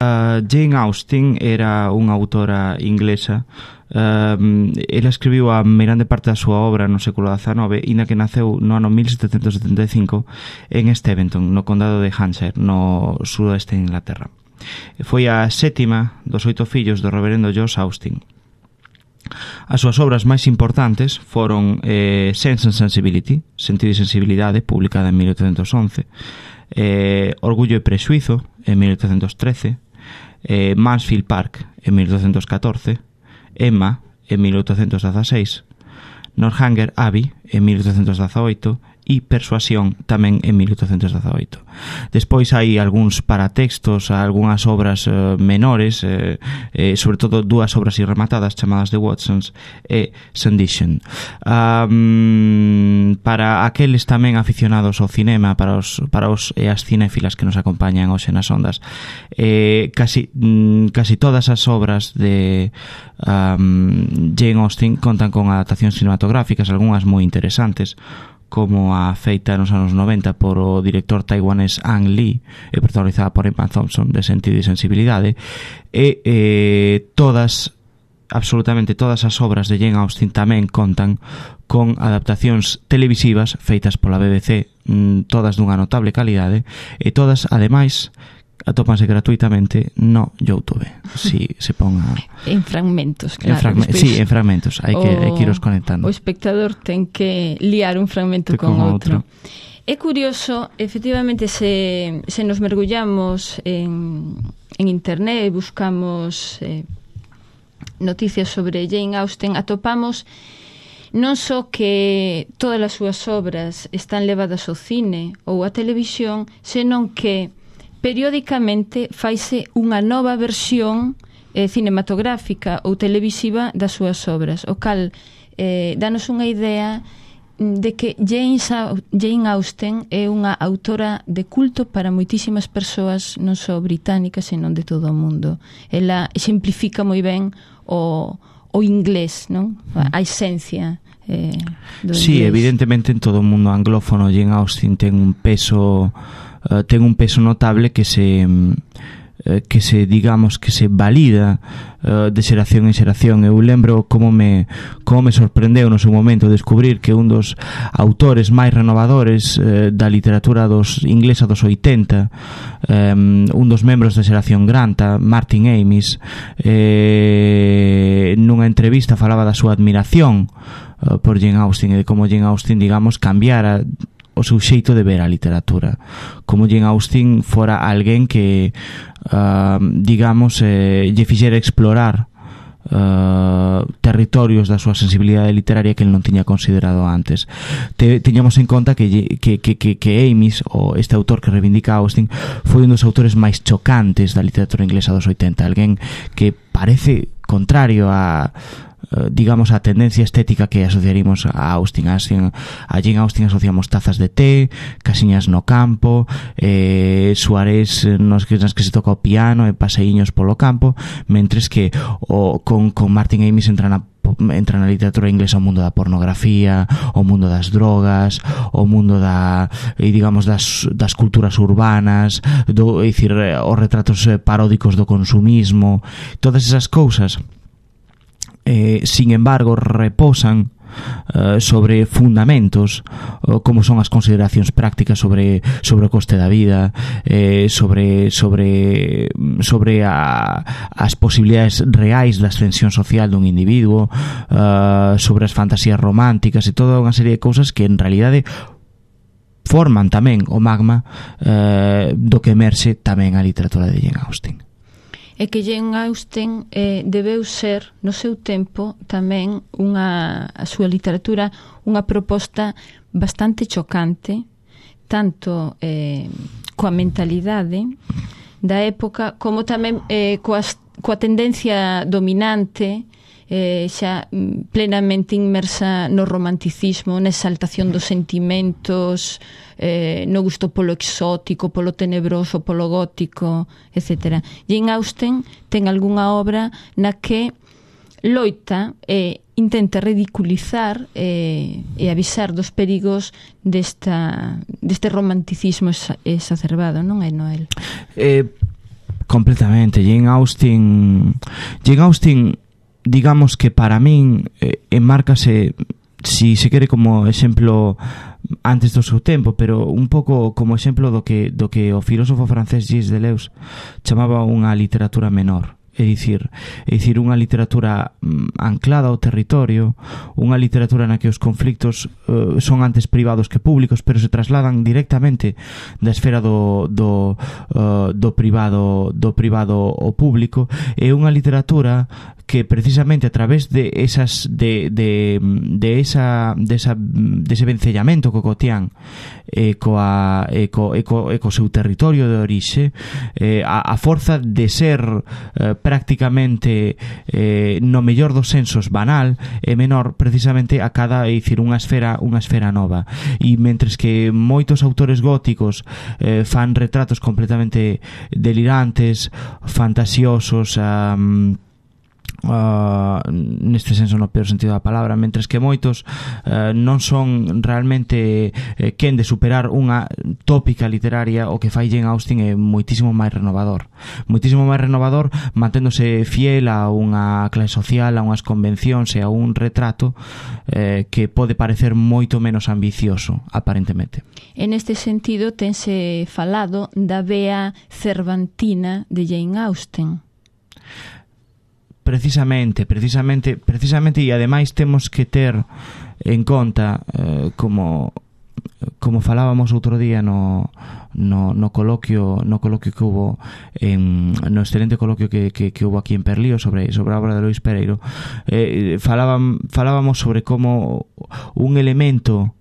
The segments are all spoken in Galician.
Jane Austen era unha autora inglesa. Ela escribiu a meirande parte da súa obra no século XIX, e na que naceu no ano 1775 en Steventon, no condado de Hampshire, no sudoeste de Inglaterra. Foi a sétima dos 8 fillos do reverendo George Austen. As súas obras máis importantes foron Sense and Sensibility, Sentido e Sensibilidade, publicada en 1811, Orgullo e Prexuizo, en 1813, Mansfield Park, en 1814, Emma, en 1816, Northanger Abbey, en 1818, e Persuasión, tamén en 1818. Despois hai algúns paratextos, algunhas obras menores, sobre todo 2 obras irrematadas chamadas The Watsons e Sandition. Para aqueles tamén aficionados ao cinema, para os e as cinéfilas que nos acompañan hoxe nas ondas, casi todas as obras de Jane Austen contan con adaptacións cinematográficas, algunhas moi interesantes, como a feita nos anos 90 por o director taiwanés Ang Lee e protagonizada por Emma Thompson, de Sentido e Sensibilidade, e absolutamente todas as obras de Jane Austen tamén contan con adaptacións televisivas feitas pola BBC, todas dunha notable calidade, e todas, ademais, atópanse gratuitamente no YouTube. Si se pon en fragmentos, claro. Sí, en fragmentos. Hai que iros conectando. O espectador ten que liar un fragmento con outro. É curioso, efectivamente, se nos mergullamos en internet e buscamos noticias sobre Jane Austen, atopamos non só que todas as súas obras están levadas ao cine ou á televisión, senón que periódicamente faise unha nova versión cinematográfica ou televisiva das súas obras, o cal danos unha idea de que Jane Austen é unha autora de culto para moitísimas persoas, non só británicas, senón de todo o mundo. Ela exemplifica moi ben o inglés, non? A esencia do inglés. Sí, evidentemente en todo o mundo anglófono Jane Austen ten un peso notable que se digamos que se valida de xeración en xeración. Eu lembro como me sorprendeu no seu momento descubrir que un dos autores máis renovadores da literatura inglesa dos 80, un dos membros da xeración Granta, Martin Amis, nunha entrevista falaba da súa admiración por Jane Austen e de como Jane Austen, digamos, cambiara o seu xeito de ver a literatura, como Jane Austen fora alguén que digamos lle fixera explorar territorios da súa sensibilidade literaria que ele non tiña considerado antes. Tiñamos en conta que Amis, ou este autor que reivindica Austen, foi un dos autores máis chocantes da literatura inglesa dos 80, alguén que parece contrario a digamos a tendencia estética que asociaríamos a Austen. A Jane Austen asociamos tazas de té, casiñas no campo, soarés nas que se toca o piano e paseíños polo campo, mentres que con Martin Amis entra na literatura inglesa o mundo da pornografía, o mundo das drogas, o mundo digamos das culturas urbanas, os retratos paródicos do consumismo, todas esas cousas. Sin embargo, reposan sobre fundamentos como son as consideracións prácticas sobre o coste da vida, sobre as posibilidades reais da ascensión social dun individuo, sobre as fantasías románticas e toda unha serie de cousas que en realidade forman tamén o magma do que emerxe tamén a literatura de Jane Austen. É que Jane Austen debeu ser, no seu tempo, tamén a súa literatura unha proposta bastante chocante, tanto coa mentalidade da época, como tamén coa tendencia dominante, xa plenamente inmersa no romanticismo, na exaltación dos sentimentos, no gusto polo exótico, polo tenebroso, polo gótico, etc. Jane Austen ten algunha obra na que loita e intenta ridiculizar e avisar dos perigos deste romanticismo exacerbado, non é, Noel? Completamente. Jane Austen, digamos que para min enmárcase, si se quere, como exemplo antes do seu tempo, pero un pouco como exemplo do que o filósofo francés Gilles Deleuze chamaba unha literatura menor. É dicir, unha literatura anclada ao territorio, unha literatura na que os conflictos son antes privados que públicos, pero se trasladan directamente da esfera do privado ao público. É unha literatura que precisamente a través de ese vencellamento co cotián e co seu territorio de orixe, a forza de ser prácticamente no mellor dos sensos banal e menor, precisamente a cada, dicir, unha esfera nova. E mentres que moitos autores góticos fan retratos completamente delirantes, fantasiosos, neste senso no peor sentido da palabra, mentres que moitos non son realmente quen de superar unha tópica literaria, o que fai Jane Austen é moitísimo máis renovador, manténdose fiel a unha clase social, a unhas convencións e a un retrato que pode parecer moito menos ambicioso aparentemente. En este sentido tense falado da vea cervantina de Jane Austen. Precisamente, e ademais temos que ter en conta, como falábamos outro día no coloquio que hubo no excelente coloquio que hubo aquí en Perlío sobre a obra de Lois Pereiro, falábamos sobre como un elemento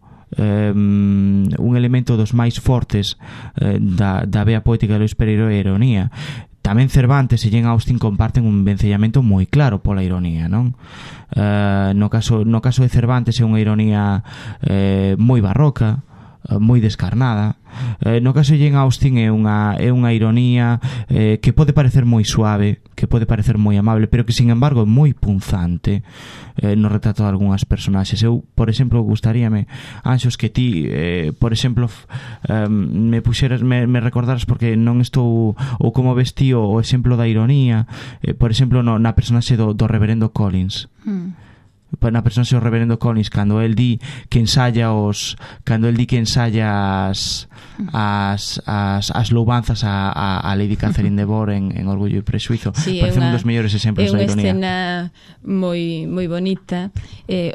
dos máis fortes da vea poética de Lois Pereiro é a ironía. Tamén Cervantes e Jane Austen comparten un vencellamento moi claro pola ironía, non? No caso de Cervantes é unha ironía moi barroca, moi descarnada. No caso de Jane Austen é unha ironía que pode parecer moi suave, que pode parecer moi amable, pero que, sin embargo, é moi punzante no retrato de algunhas personaxes. Eu, por exemplo, gustaríame, Anxos, que ti, por exemplo, me puxeras, me recordaras, porque non estou, ou como ves ti o exemplo da ironía, por exemplo, na personaxe do reverendo Collins. Na personaxe do reverendo Collins, cando el di que ensaya as loubanzas a Lady Catherine de Bourgh en Orgullo e Prexuizo. Sí, parece un dos mellores exemplos da ironía. É unha escena moi bonita.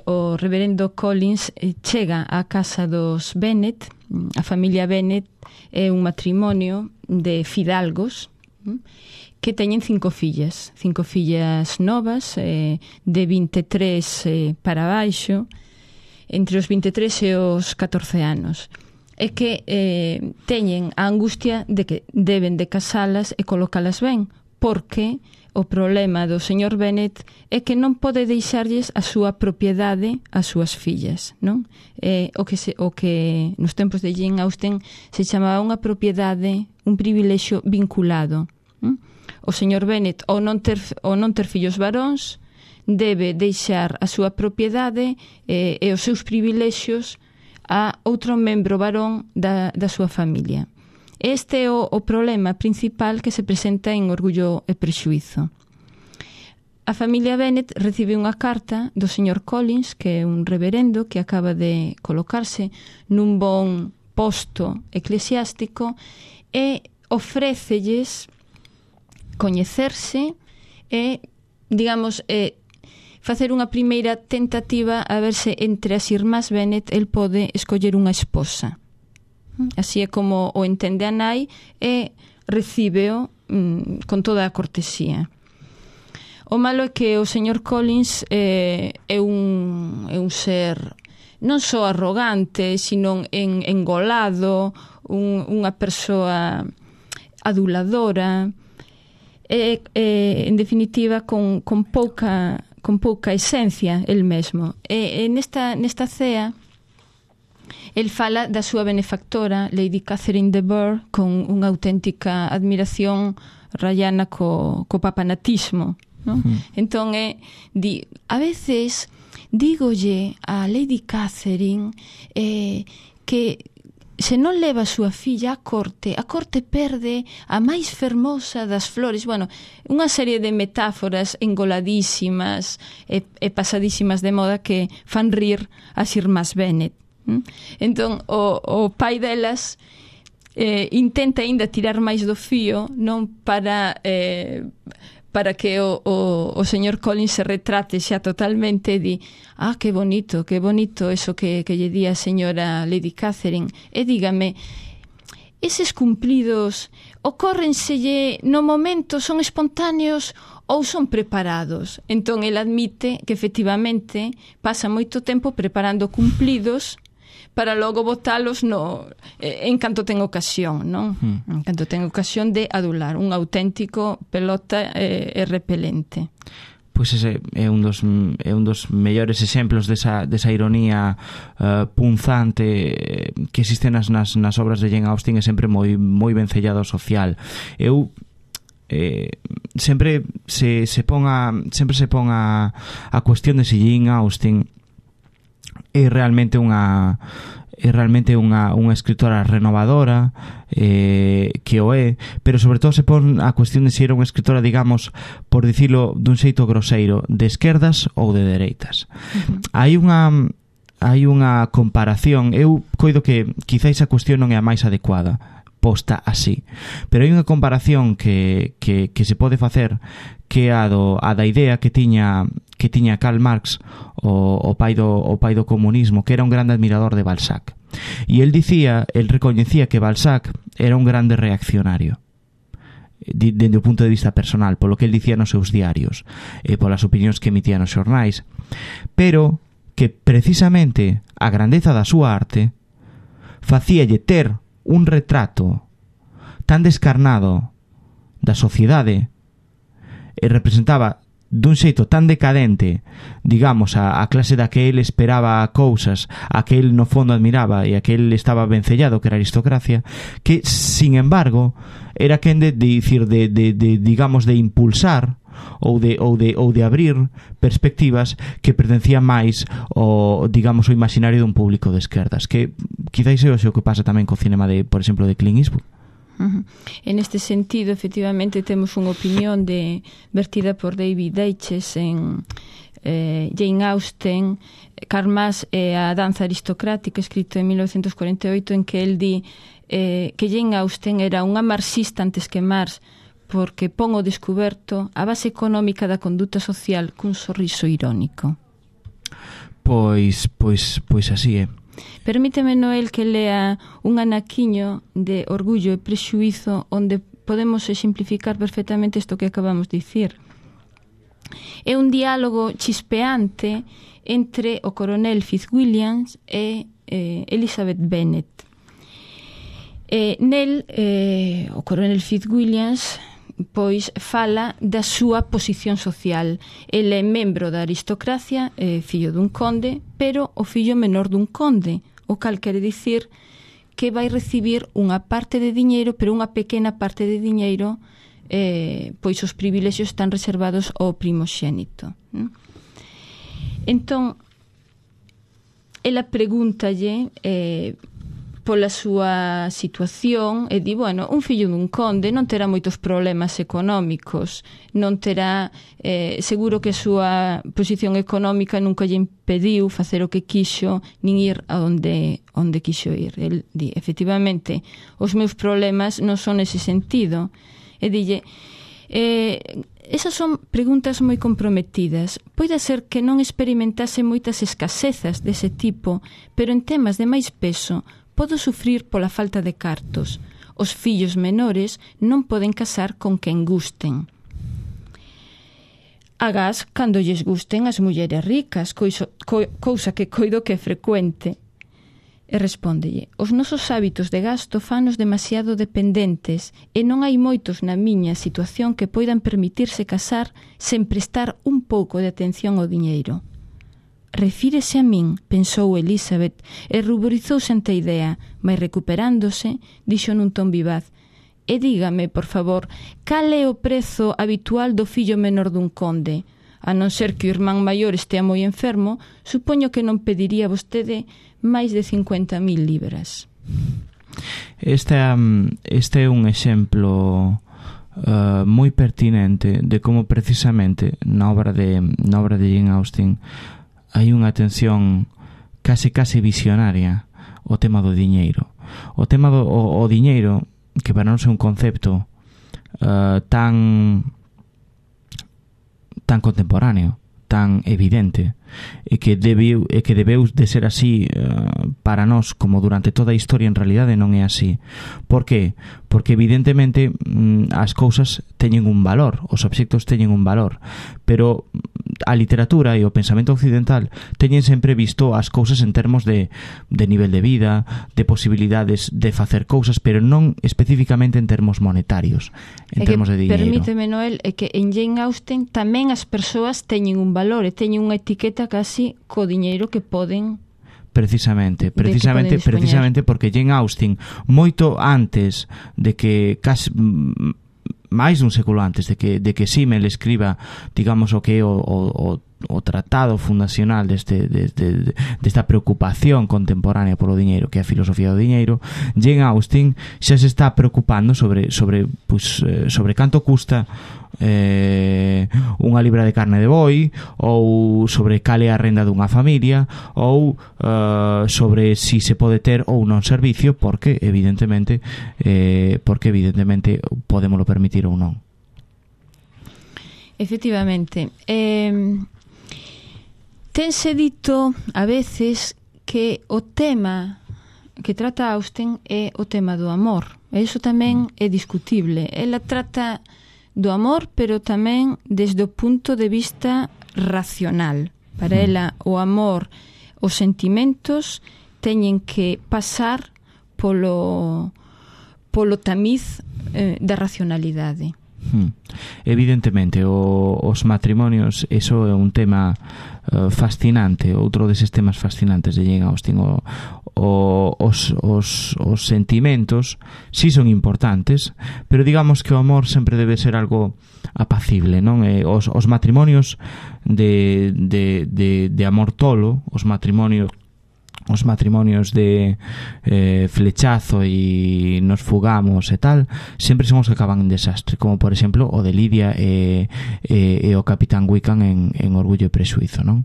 O reverendo Collins chega á casa dos Bennet. A familia Bennet é un matrimonio de fidalgos que teñen 5 fillas novas, de 23 para baixo, entre os 23 e os 14 anos, e que teñen a angustia de que deben de casalas e colocalas ben, porque o problema do señor Bennet é que non pode deixarlles a súa propiedade ás súas fillas, non? O que nos tempos de Jane Austen se chamaba unha propiedade, un privilexio vinculado. O señor Bennet, ao non ter fillos varóns, debe deixar a súa propiedade e os seus privilexios a outro membro varón da súa familia. Este é o problema principal que se presenta en Orgullo e Prexuízo. A familia Bennet recibe unha carta do señor Collins, que é un reverendo que acaba de colocarse nun bon posto eclesiástico, e ofrécelles coñecerse e, digamos, facer unha primeira tentativa a ver se entre as irmás Bennet el pode escoller unha esposa. Así é como o entende a nai e recíbeo con toda a cortesía. O malo é que o señor Collins é un ser non só arrogante, sino engolado, unha persoa aduladora, en definitiva con pouca esencia el mesmo. E nesta cea el fala da súa benefactora Lady Catherine de Bourgh con unha auténtica admiración rayana co papanatismo, non? Entón a veces dígolle a Lady Catherine que se non leva a súa filla a corte perde a máis fermosa das flores. Bueno, unha serie de metáforas engoladísimas e pasadísimas de moda que fan rir as irmás Bennet. Entón, o pai delas intenta ainda tirar máis do fío, non para que o señor Collins se retrate xa totalmente e di, que bonito eso que lle di a señora Lady Catherine. E dígame, eses cumplidos ocórrenselle no momento, son espontáneos ou son preparados? Entón, el admite que efectivamente pasa moito tempo preparando cumplidos para logo botalos en canto ten ocasión, non? En canto ten ocasión de adular, un auténtico pelota e repelente. Pois ese é un dos mellores exemplos desa ironía punzante que existe nas obras de Jane Austen, e sempre moi vencellado ao social. Eu sempre se pon a cuestión de se Jane Austen é realmente unha escritora renovadora, que o é, pero sobre todo se pon a cuestión de se era unha escritora, digamos, por dicilo dun xeito groseiro, de esquerdas ou de dereitas. Hai unha comparación, eu coido que quizáis a cuestión non é a máis adecuada posta así, pero hai unha comparación que se pode facer, que é a da idea que tiña Karl Marx, o pai do comunismo, que era un grande admirador de Balzac, e el recoñecía que Balzac era un grande reaccionario dende o punto de vista personal, polo que el dicía nos seus diarios e polas opinións que emitía nos xornais, pero que precisamente a grandeza da súa arte facíalle ter un retrato tan descarnado da sociedade e representaba dun xeito tan decadente, digamos, a clase da que el esperaba cousas, a que el no fondo admiraba e a que el estaba vencellado, que era a aristocracia, que, sin embargo, era quen de dicir, digamos, de impulsar ou de abrir perspectivas que pertencían máis ao, digamos, o imaginario dun público de esquerdas, que quizáis é o que pasa tamén co cinema por exemplo, de Clint Eastwood. En este sentido, efectivamente, temos unha opinión vertida por David Deutsches en Jane Austen, Karl Marx e a danza aristocrática, escrito en 1948, en que el di que Jane Austen era unha marxista antes que Marx, porque pon o descuberto a base económica da conduta social cun sorriso irónico. Pois así é. Permíteme, Noel, que lea un anaquiño de Orgullo e Prexuízo onde podemos exemplificar perfectamente isto que acabamos de dicir. É un diálogo chispeante entre o coronel Fitzwilliams e Elizabeth Bennet. Nel, o coronel Fitzwilliams pois fala da súa posición social. Ele é membro da aristocracia, fillo dun conde, pero o fillo menor dun conde, o cal quere dicir que vai recibir unha parte de diñeiro, pero unha pequena parte de diñeiro, pois os privilexios están reservados ao primoxénito. Entón, ela pregúntalle pola súa situación e di, bueno, un fillo dun conde non terá moitos problemas económicos, non terá, seguro que a súa posición económica nunca lle impediu facer o que quixo, nin ir a onde quixo ir. El di, efectivamente, os meus problemas non son nese sentido. E dille, esas son preguntas moi comprometidas. Pode ser que non experimentase moitas escasezas dese tipo, pero en temas de máis peso podo sufrir pola falta de cartos. Os fillos menores non poden casar con quen gusten. Agás cando lles gusten as mulleres ricas, cousa que coido que é frecuente. E respóndelle, os nosos hábitos de gasto fanos demasiado dependentes e non hai moitos na miña situación que poidan permitirse casar sen prestar un pouco de atención ao diñeiro. Refírese a min, pensou Elizabeth, e ruborizouse ante a idea, mas recuperándose, dixo nun ton vivaz, e dígame, por favor, cal é o prezo habitual do fillo menor dun conde? A non ser que o irmán maior estea moi enfermo, supoño que non pediría vostede máis de 50.000 libras. Este é un exemplo moi pertinente de como precisamente na obra de Jane Austen hai unha atención case visionaria ao tema do diñeiro. O tema do diñeiro, que para non ser un concepto tan contemporáneo, tan evidente, e que debeu de ser así para nós como durante toda a historia, en realidade non é así. Por qué? Porque evidentemente as cousas teñen un valor, os obxectos teñen un valor, pero a literatura e o pensamento occidental teñen sempre visto as cousas en termos de nivel de vida, de posibilidades de facer cousas, pero non especificamente en termos monetarios, en termos de dinheiro. Permíteme, Noel, é que en Jane Austen tamén as persoas teñen un valor e teñen unha etiqueta casi co diñeiro que poden precisamente porque Jane Austen, moito antes de que casi máis dun século antes de que Simmel escriba, digamos, o que é o tratado fundacional desta preocupación contemporánea polo diñeiro, que é a filosofía do diñeiro, Jane Austen xa se está preocupando sobre canto custa unha libra de carne de boi, ou sobre cal é a renda dunha familia, ou sobre si se pode ter ou non servicio, porque evidentemente podémolo permitir ou non. Efectivamente. Tense dito a veces que o tema que trata Austen é o tema do amor, e iso tamén é discutible. Ela trata do amor, pero tamén desde o punto de vista racional. Para ela, o amor, os sentimentos teñen que pasar polo tamiz da racionalidade. Evidentemente, os matrimonios, eso é un tema fascinante, outro deses temas fascinantes de Jane Austen. Os sentimentos sí son importantes, pero digamos que o amor sempre debe ser algo apacible, non? Os matrimonios de amor tolo, os matrimonios de flechazo e nos fugamos e tal, sempre son os que acaban en desastre, como por exemplo o de Lidia e o Capitán Wickham en Orgullo e Prexuízo, non?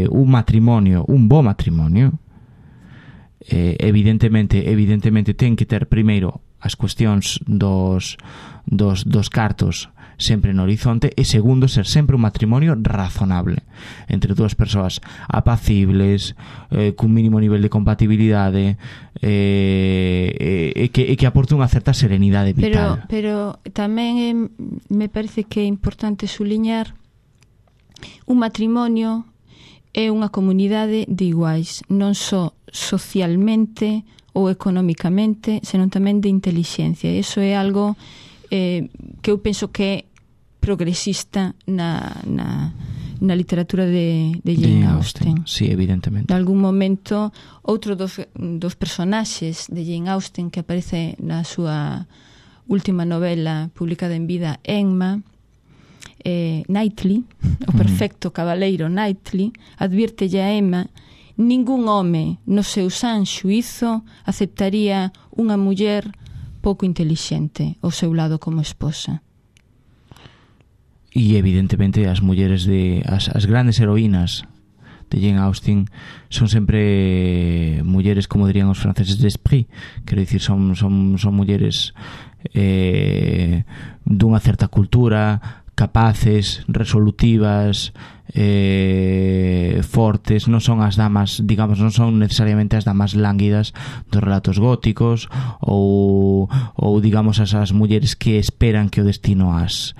Un bo matrimonio evidentemente ten que ter primeiro as cuestións dos cartos sempre no horizonte, e segundo, ser sempre un matrimonio razonable entre dúas persoas apacibles, cun mínimo nivel de compatibilidade, e que aporte unha certa serenidade vital. Pero tamén me parece que é importante suliñar un matrimonio é unha comunidade de iguais, non só socialmente ou económicamente, senón tamén de intelixencia. Iso é algo que eu penso que é progresista na literatura de Jane Austen. Sí, evidentemente. En algún momento, outro dos personaxes de Jane Austen que aparece na súa última novela publicada en vida, Emma, Knightley, o perfecto cabaleiro Knightley, advírtelle a Emma: ningún home no seu san xuízo aceptaría unha muller pouco intelixente ao seu lado como esposa. E evidentemente as mulleres as grandes heroínas de Jane Austen son sempre mulleres, como dirían os franceses, d'esprit, quero dicir, son mulleres dunha certa cultura, capaces, resolutivas, fortes. Non son as damas, digamos, non son necesariamente as damas lánguidas dos relatos góticos, ou digamos as mulleres que esperan que o destino as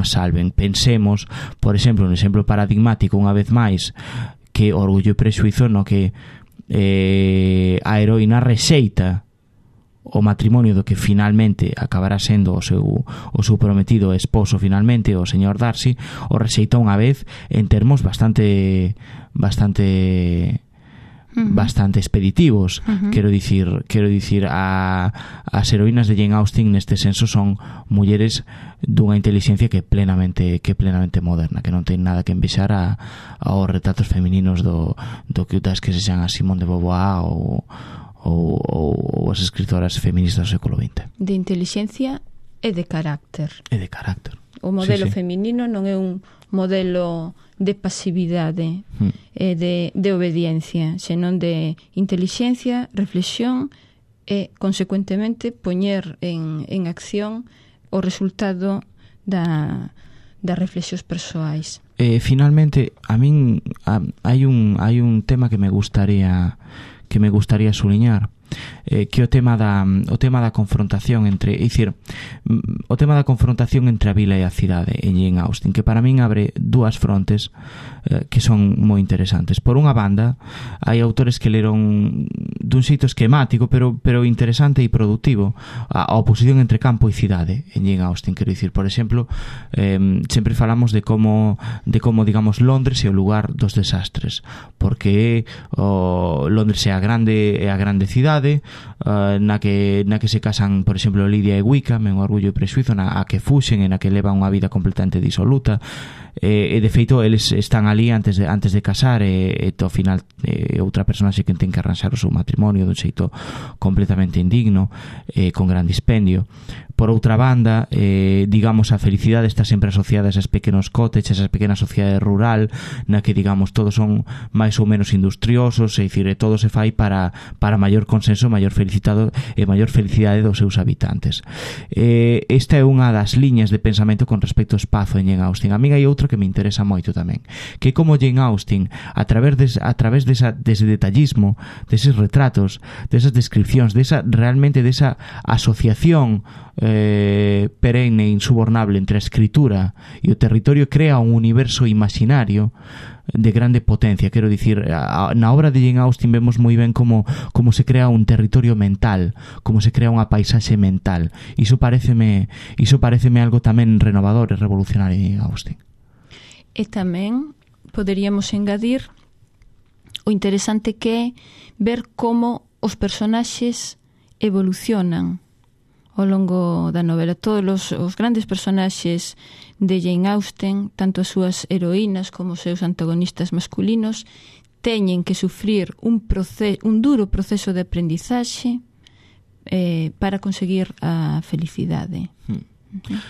salven. Pensemos, por exemplo, un exemplo paradigmático unha vez máis, que Orgullo e Prexuízo, no que a heroína rexeita o matrimonio do que finalmente acabará sendo o seu prometido esposo, finalmente, o señor Darcy, o rexeita unha vez en termos bastante bastante expeditivos. Quero dicir as heroínas de Jane Austen neste senso son mulleres dunha inteligencia que é plenamente moderna, que non ten nada que envexar aos retratos femininos do que das que se xan a Simone de Beauvoir ou as escritoras feministas do século XX. De inteligencia e de carácter. O modelo feminino non é un modelo de pasividade e de obediencia, senón de inteligencia, reflexión e, consecuentemente, poñer en acción o resultado das reflexións persoais. Finalmente, a min hai un tema que me gustaría suliñar, que o tema da confrontación entre, o tema da confrontación entre a vila e a cidade en Jane Austen, que para min abre dúas frontes que son moi interesantes. Por unha banda, hai autores que leron dun xeito esquemático, pero interesante e productivo, a oposición entre campo e cidade en Jane Austen. Quero dicir, por exemplo, sempre falamos de como digamos, Londres é o lugar dos desastres, porque Londres é a grande cidade na que se casan, por exemplo, Lidia e Wickham, en Orgullo e Prexuízo, a que fuxen e na que levan unha vida completamente disoluta, e de feito eles están ali antes de casar, e ao final outra personaxe que ten que arranxar o seu matrimonio dun xeito completamente indigno, con gran dispendio. Por outra banda, digamos, a felicidade está sempre asociada a esos pequenos cottages, a esa pequena sociedade rural na que, digamos, todos son máis ou menos industriosos, é dicir, todo se fai para maior consenso, maior felicidade dos seus habitantes. Esta é unha das liñas de pensamento con respecto ao espazo en Jane Austen. A mí hai outra que me interesa moito tamén, que como Jane Austen, a través dese detallismo, deses retratos, desas descripcións, realmente desa asociación perenne e insubornable entre a escritura e o territorio, crea un universo imaginario de grande potencia. Quero dicir, na obra de Jane Austen vemos moi ben como se crea un territorio mental, como se crea unha paisaxe mental. Iso pareceme algo tamén renovador e revolucionario en Jane Austen. E tamén poderíamos engadir o interesante que é ver como os personaxes evolucionan ao longo da novela. Todos os grandes personaxes de Jane Austen, tanto as súas heroínas como os seus antagonistas masculinos, teñen que sufrir un duro proceso de aprendizaxe para conseguir a felicidade.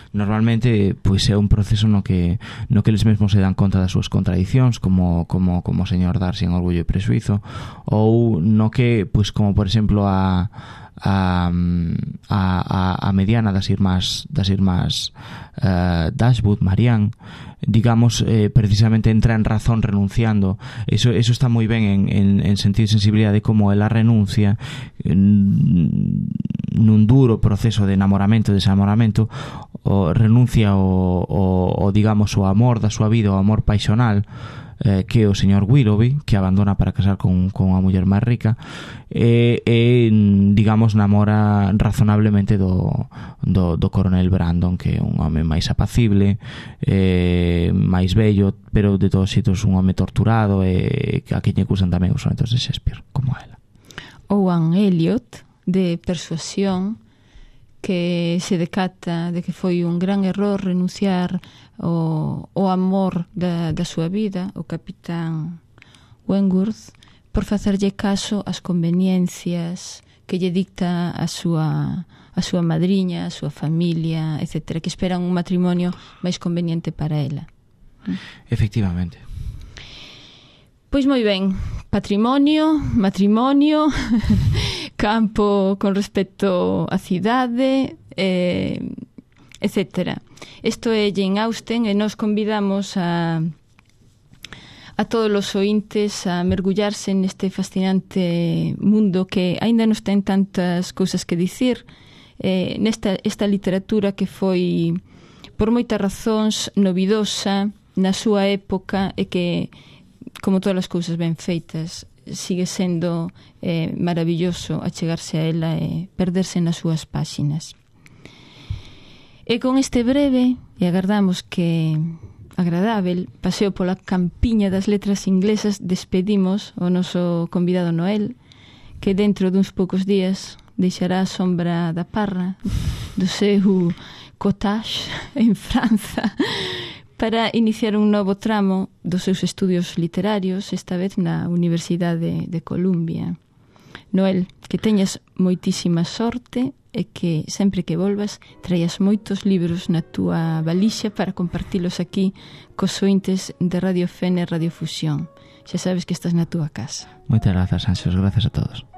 Normalmente, pois é un proceso no que eles mesmos se dan conta das súas contradicións, como o señor Darcy en Orgullo e Prexuízo, ou no que, pois como por exemplo a mediana das irmás Dashwood, Marianne, digamos, precisamente entra en razón renunciando. Eso está moi ben en sentido de sensibilidade, como ela renuncia nun duro proceso de enamoramento e desamoramento, renuncia o digamos o amor da súa vida, o amor paixonal, que é o señor Willoughby, que abandona para casar con unha muller máis rica, e digamos namora razonablemente do coronel Brandon, que é un home máis apacible, máis bello, pero de todos xeitos un home torturado, e a quen lle acusan tamén os sonetos de Shakespeare, como ela. Owen Elliot, de Persuasión, que se decata de que foi un gran error renunciar o amor da súa vida, o capitán Wentworth, por facerlle caso ás conveniencias que lle dicta a súa madriña, a súa familia, etc., que esperan un matrimonio máis conveniente para ela. Efectivamente. Pois moi ben, patrimonio, matrimonio, campo con respecto á cidade, etc. Isto é Jane Austen, e nos convidamos a todos os ointes a mergullarse neste fascinante mundo que aínda nos ten tantas cousas que dicir, esta literatura que foi por moitas razóns novidosa na súa época, e que, como todas as cousas ben feitas, sigue sendo maravilloso achegarse a ela e perderse nas súas páxinas. E con este breve, e agardamos que agradável paseo pola campiña das letras inglesas. Despedimos o noso convidado Noel, que dentro duns poucos días deixará a sombra da parra do seu cottage en Franza para iniciar un novo tramo dos seus estudios literarios, esta vez na Universidade de Columbia. Noel, que teñas moitísima sorte e que sempre que volvas traias moitos libros na túa valixa para compartilos aquí cos ointes de Radio Fene e Radio Fusión. Xa sabes que estás na túa casa. Moitas grazas, Ánxelos, grazas a todos.